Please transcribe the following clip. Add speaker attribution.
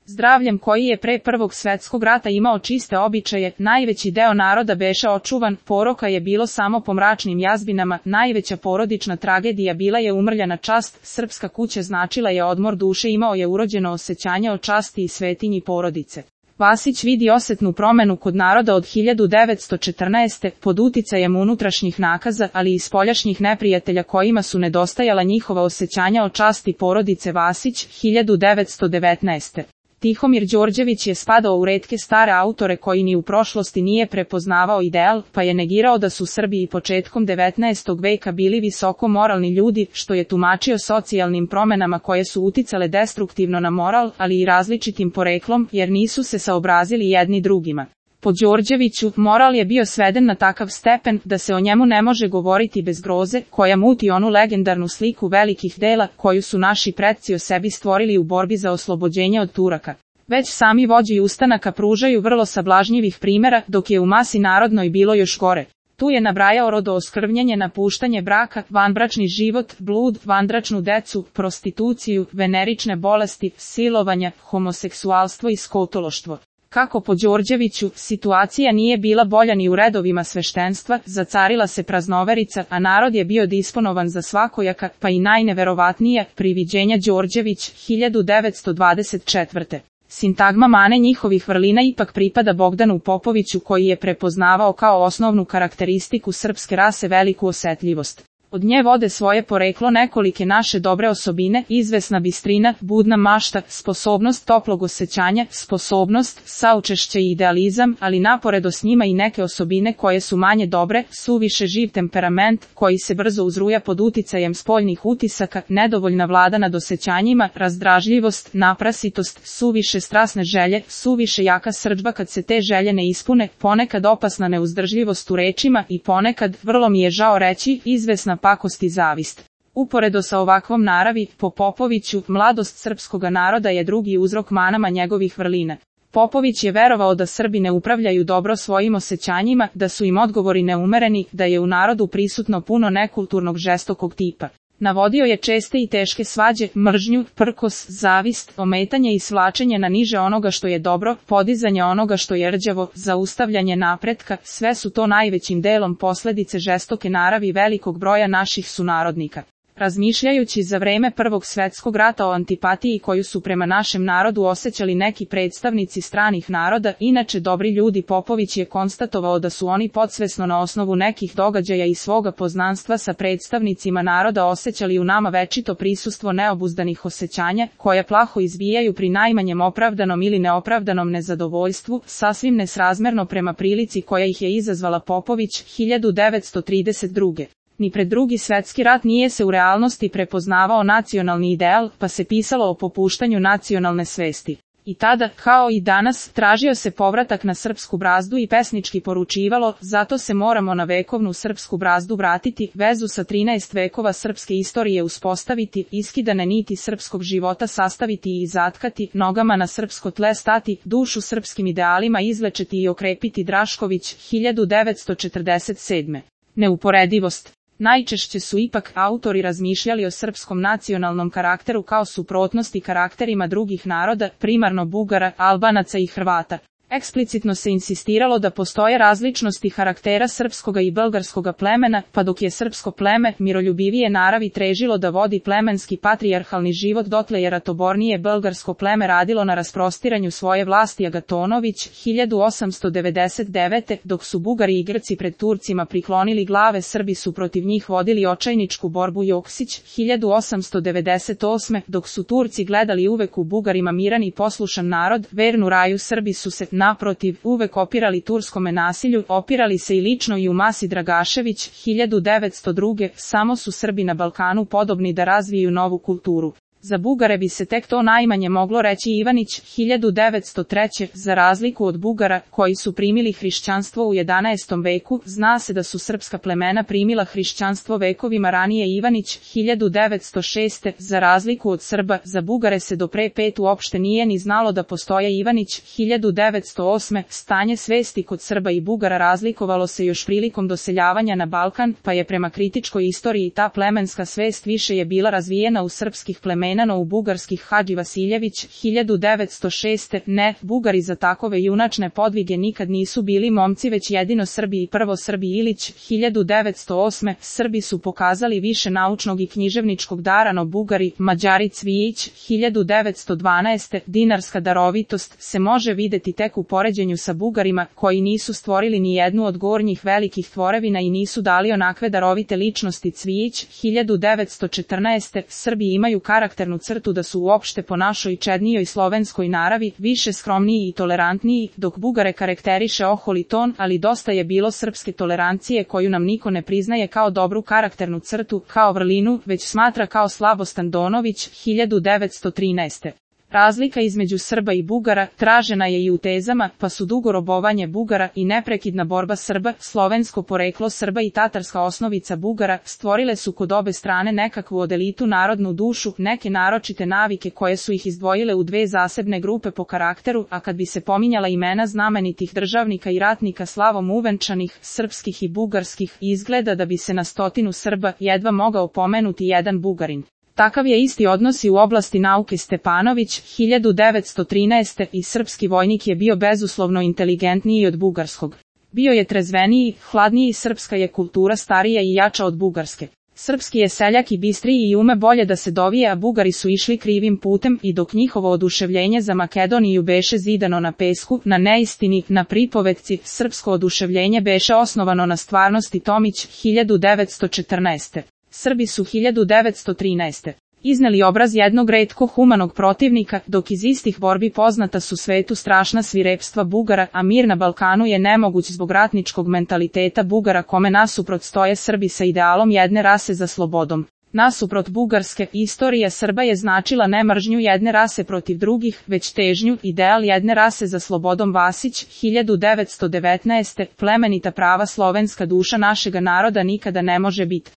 Speaker 1: Zdravljem koji je pre Prvog svetskog rata imao čiste običaje, najveći deo naroda beše očuvan, poroka je bilo samo po mračnim jazbinama, najveća porodična tragedija bila je umrljana čast, srpska kuća značila je odmor duše, imao je urođeno osjećanje o časti i svetinji porodice. Vasić vidi osetnu promenu kod naroda od 1914. pod uticajem unutrašnjih nakaza, ali i spoljašnjih neprijatelja kojima su nedostajala njihova osjećanja o časti porodice. Vasić, 1919. Tihomir Đorđević je spadao u retke stare autore koji ni u prošlosti nije prepoznavao ideal, pa je negirao da su Srbi i početkom 19. veka bili visoko moralni ljudi, što je tumačio socijalnim promenama koje su uticale destruktivno na moral, ali i različitim poreklom, jer nisu se saobrazili jedni drugima. Po Đorđeviću, moral je bio sveden na takav stepen da se o njemu ne može govoriti bez groze, koja muti onu legendarnu sliku velikih dela koju su naši predci o sebi stvorili u borbi za oslobođenje od Turaka. Već sami vođi ustanaka pružaju vrlo sablažnjivih primera, dok je u masi narodnoj bilo još gore. Tu je nabrajao rodooskvrnjenje, napuštanje braka, vanbračni život, blud, vanbračnu decu, prostituciju, venerične bolesti, silovanja, homoseksualstvo i skotološtvo. Kako po Đorđeviću, situacija nije bila bolja ni u redovima sveštenstva, zacarila se praznoverica, a narod je bio disponovan za svakojaka, pa i najneverovatnija priviđenja. Đorđević, 1924. Sintagma mane njihovih vrlina ipak pripada Bogdanu Popoviću, koji je prepoznavao kao osnovnu karakteristiku srpske rase veliku osetljivost. Od nje vode svoje poreklo nekolike naše dobre osobine, izvesna bistrina, budna mašta, sposobnost toplog osjećanja, sposobnost, saučešće i idealizam, ali naporedo s njima i neke osobine koje su manje dobre, suviše živ temperament, koji se brzo uzruja pod uticajem spoljnih utisaka, nedovoljna vlada nad osjećanjima, razdražljivost, naprasitost, suviše strasne želje, suviše jaka srdžba kad se te želje ne ispune, ponekad opasna neuzdržljivost u rečima i ponekad, vrlo mi je žao reći, izvesna pakost i zavist. Uporedo sa ovakvom naravi, po Popoviću, mladost srpskoga naroda je drugi uzrok manama njegovih vrlina. Popović je verovao da Srbi ne upravljaju dobro svojim osjećanjima, da su im odgovori neumereni, da je u narodu prisutno puno nekulturnog žestokog tipa. Navodio je česte i teške svađe, mržnju, prkos, zavist, ometanje i svlačenje na niže onoga što je dobro, podizanje onoga što je rđavo, zaustavljanje napretka, sve su to najvećim delom posledice žestoke naravi velikog broja naših sunarodnika. Razmišljajući za vreme Prvog svetskog rata o antipatiji koju su prema našem narodu osjećali neki predstavnici stranih naroda, inače dobri ljudi, Popović je konstatovao da su oni podsvesno na osnovu nekih događaja i svoga poznanstva sa predstavnicima naroda osjećali u nama večito prisustvo neobuzdanih osjećanja, koje plaho izbijaju pri najmanjem opravdanom ili neopravdanom nezadovoljstvu, sasvim nesrazmerno prema prilici koja ih je izazvala. Popović, 1932. Ni pred Drugi svetski rat nije se u realnosti prepoznavao nacionalni ideal, pa se pisalo o popuštanju nacionalne svesti. I tada, kao i danas, tražio se povratak na srpsku brazdu i pesnički poručivalo, zato se moramo na vekovnu srpsku brazdu vratiti, vezu sa 13 vekova srpske istorije uspostaviti, iskidane niti srpskog života sastaviti i zatkati, nogama na srpsko tle stati, dušu srpskim idealima izlečiti i okrepiti. Drašković, 1947. Neuporedivost. Najčešće su ipak autori razmišljali o srpskom nacionalnom karakteru kao suprotnosti karakterima drugih naroda, primarno Bugara, Albanaca i Hrvata. Eksplicitno se insistiralo da postoje različnosti karaktera srpskoga i bugarskoga plemena, pa dok je srpsko pleme, miroljubivije naravi, težilo da vodi plemenski patrijarhalni život, dotle je ratobornije bugarsko pleme radilo na rasprostiranju svoje vlasti. Agatonović, 1899. Dok su Bugari i Grci pred Turcima priklonili glave, Srbi su protiv njih vodili očajničku borbu. Joksić, 1898. Dok su Turci gledali uvek u Bugarima miran i poslušan narod, vernu raju, Srbi su se, naprotiv, uvek opirali turskome nasilju, opirali se i lično i u masi. Dragašević, 1902. Samo su Srbi na Balkanu podobni da razviju novu kulturu. Za Bugare bi se tek to najmanje moglo reći. Ivanić, 1903. Za razliku od Bugara, koji su primili hrišćanstvo u 11. veku, zna se da su srpska plemena primila hrišćanstvo vekovima ranije. Ivanić, 1906. Za razliku od Srba, za Bugare se do pre 5 uopšte nije ni znalo da postoje. Ivanić, 1908. Stanje svesti kod Srba i Bugara razlikovalo se još prilikom doseljavanja na Balkan, pa je prema kritičkoj istoriji ta plemenska svest više je bila razvijena u srpskih plemena Zejnano u bugarskih Hadži Vasiljević, 1906. Ne, Bugari za takove junačne podvige nikad nisu bili momci već jedino Srbi i prvo Srbi Ilić, 1908. Srbi su pokazali više naučnog i književničkog dara no Bugari, Mađari Cvijić, 1912. Dinarska darovitost se može videti tek u poređenju sa Bugarima, koji nisu stvorili ni jednu od gornjih velikih tvorevina i nisu dali onakve darovite ličnosti. Cvijić, 1914. Srbi imaju karakternu crtu da su uopšte po našoj čednijoj slovenskoj naravi više skromniji i tolerantniji, dok Bugare karakteriše oholi ton, ali dosta je bilo srpske tolerancije koju nam niko ne priznaje kao dobru karakternu crtu, kao vrlinu, već smatra kao slabost. Andonović, 1913. Razlika između Srba i Bugara tražena je i u tezama, pa su dugo robovanje Bugara i neprekidna borba Srba, slovensko poreklo Srba i tatarska osnovica Bugara stvorile su kod obe strane nekakvu odelitu narodnu dušu, neke naročite navike koje su ih izdvojile u dve zasebne grupe po karakteru, a kad bi se pominjala imena znamenitih državnika i ratnika slavom uvenčanih, srpskih i bugarskih, izgleda da bi se na 100 Srba jedva mogao pomenuti jedan Bugarin. Takav je isti odnos i u oblasti nauke. Stepanović, 1913. i srpski vojnik je bio bezuslovno inteligentniji od bugarskog. Bio je trezveniji, hladniji, srpska je kultura starija i jača od bugarske. Srpski je seljak i bistriji i ume bolje da se dovije, a Bugari su išli krivim putem i dok njihovo oduševljenje za Makedoniju beše zidano na pesku, na neistini, na pripovetci, srpsko oduševljenje beše osnovano na stvarnosti. Tomić, 1914. Srbi su 1913. izneli obraz jednog retko humanog protivnika, dok iz istih borbi poznata su svetu strašna svirepstva Bugara, a mir na Balkanu je nemoguć zbog ratničkog mentaliteta Bugara kome nasuprot stoje Srbi sa idealom jedne rase za slobodom. Nasuprot bugarske, istorija Srba je značila ne mržnju jedne rase protiv drugih, već težnju, ideal jedne rase za slobodom. Vasić, 1919. Plemenita prava slovenska duša našega naroda nikada ne može biti